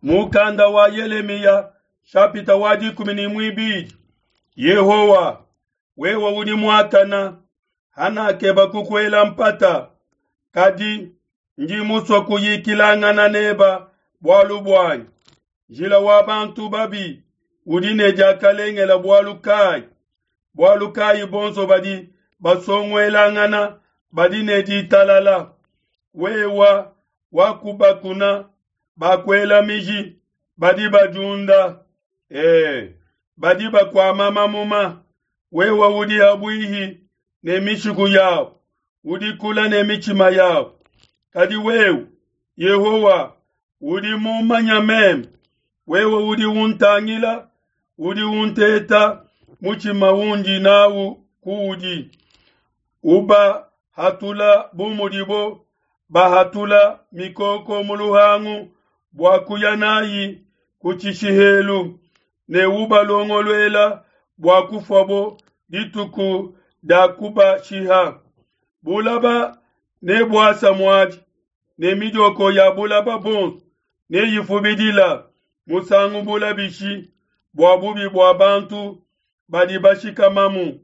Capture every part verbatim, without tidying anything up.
Mukanda wa Yelemiya shapita wa dikumi ne muibidi. Yehowa, wewe udi muakana, hanakeba kukuela mpata, kadi ndi musue kuyikilangana neba bualu buanyi. Njila wa bantu babi udi ne diakalengela bualu kayi? Bualu kayi bonso badi basonguelangana badi ne ditalala? Wewa wakubakuna bakuela miji, badi badiunda, eh, badi bakuama mamuma. Wewe udi habuihi ne mishiku yabo, udi kula ne mitshima yabo. Kadi wewe, Yehowa, udi mumanya meme. Wewe udi untangila, udi unteta mutshima undi nawu kuudi. Ubahatula bu mudibo bahatula mikoko mu luhangu bua kuya nayi ku tshishihelu, ne ubalongoluela bua kufuabo dituku dia kubashiha. Bulaba ne buasa muadi, ne midioko ya bulaba bonso neyifubidila musangu bula bishi bua bubi bua bantu badi bashikamamu.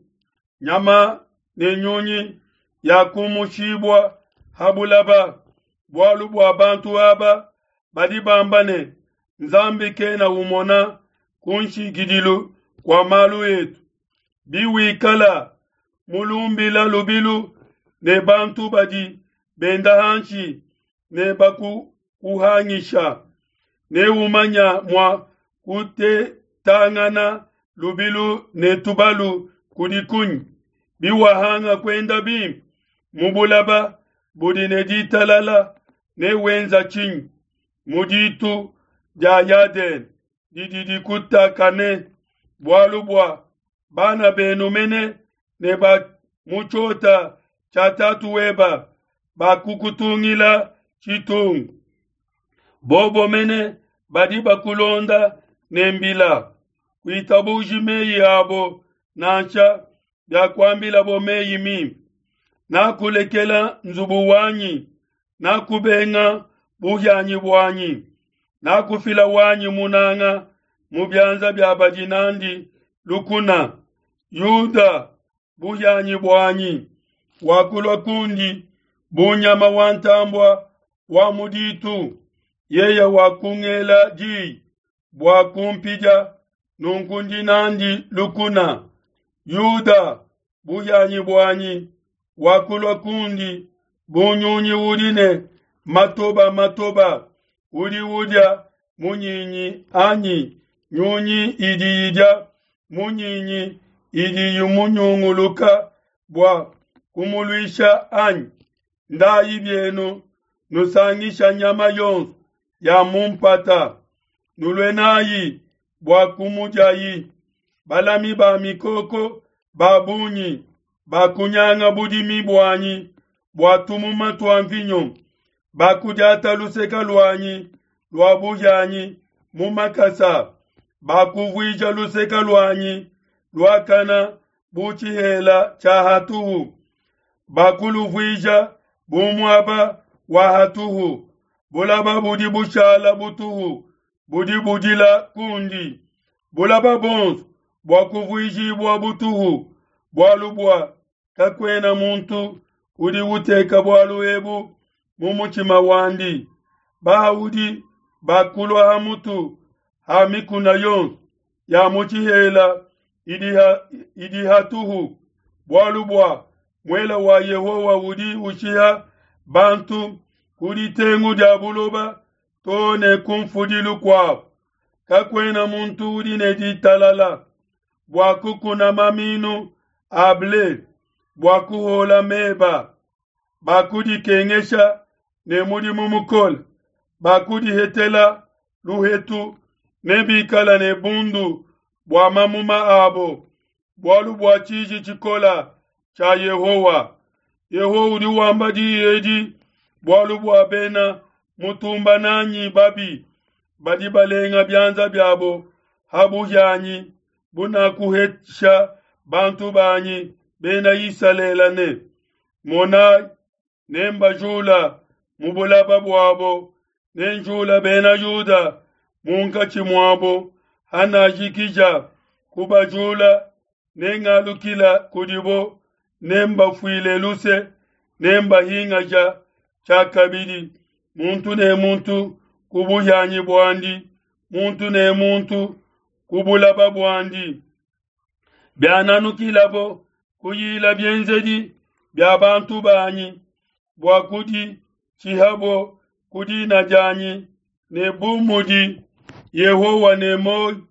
Nyama ne nyunyi yakumushibua ha bulaba, bualu bua bantu aba badi bamba ne, Nzambi kena umona ku nshikidilu kua malu etu. Biwikala mulumbila lubilu ne bantu badi benda hanshi ne bakukuhangisha, ne umanya mua kutetangana lubilu ne tubalu kudi kunyi? Biwahanga kuenda bimpe mu bulaba budi ne ditalala, ne wenza tshinyi mu ditu dia Yadene didi dikutakane? Bualu bua bana benu mene ne ba mu tshiota tshia tatu weba bakukutungila tshitungu. Bobo mene badi bakulonda ne mbila. Kuitabuji meyi abo nansha biakuambilabo meyi mimpe. Nakulekela nzubu wanyi, nakubenga buhianyi buanyi, nakufila wanyi munanga mu bianza bia badi nandi lukuna. Yuda, buhianyi buanyi, wakulua kundi bu nyama wa ntambua wa mu ditu. Yeye wakungela diyi bua kumpidia, nunku ndi nandi lukuna. Yuda, buhianyi buanyi, wakulua kundi bu nyunyi udi ne matoba matoba, udi udia munyinyi anyi nyunyi idi idia munyinyi idi imunyunguluka bua kumuluisha anyi? Ndayi bienu nusangisha nyama yonso ya mu mpata, nulue nayi bua kumudiayi. Balami ba mikoko ba bungi bakunyanga budimi buanyi bua tumuma tua mvinyo, bakudiata luseke luanyi lua buhianyi mu makasa, bakuvuija luseke luanyi luakana bu tshihela tshia hatuhu, bakuluvuija bu muaba wa hatuhu. Bulaba budi bushala butuhu budi budila kundi. Bulaba bonso buakuvuijibua butuhu, bualu bua kakuena muntu udi uteka bualu ebu mu mutshima wandi. Bahaudi bakulua ha mutu ha mikuna yonso ya mu tshihela idi hatuhu, bualu bua muela wa Yehowa udi ushiha bantu ku ditengu dia buloba to ne ku mfudilu kuabo. Kakuena muntu udi ne ditalala bua kukuna maminu a ble, bua kuhola meba. Bakudikengesha ne mudimu mukole, bakudihetela luhetu, ne bikala ne bundu bua mamuma abo, bualu bua tshiji tshikola tshia Yehowa. Yehowa udi wamba diyi edi bualu bua bena mutumba nanyi babi badi balenga bianza biabo ha buhianyi bunakuhesha bantu banyi bena Isalele ne, Monai, nembajula mu bulaba buabo, nenjula bena Yuda munkatshi muabo hanajikija kubajula, nengalukila kudibo, nembafuile luse, nembahingasha tshiakabidi, muntu ne muntu ku buhianyi buandi, muntu ne muntu ku bulaba buandi. Biananukilabo kuyila bienzedi bia bantu banyi bua kuditshihabo ku dina dianyi, ne bu mudi Yehowa ne muoyo,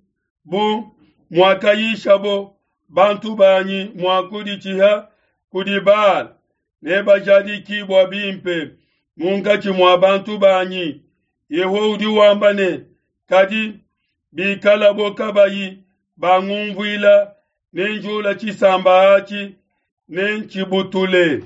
bu muakayishabo bantu banyi mua kuditshiha kudi Baala, nebajadikibua bimpe munkatshi mua bantu banyi. Yehowa udi wamba ne, kadi bikalabo kabayi bangunvuila, nenjula tshisamba atshi, nentshibutule.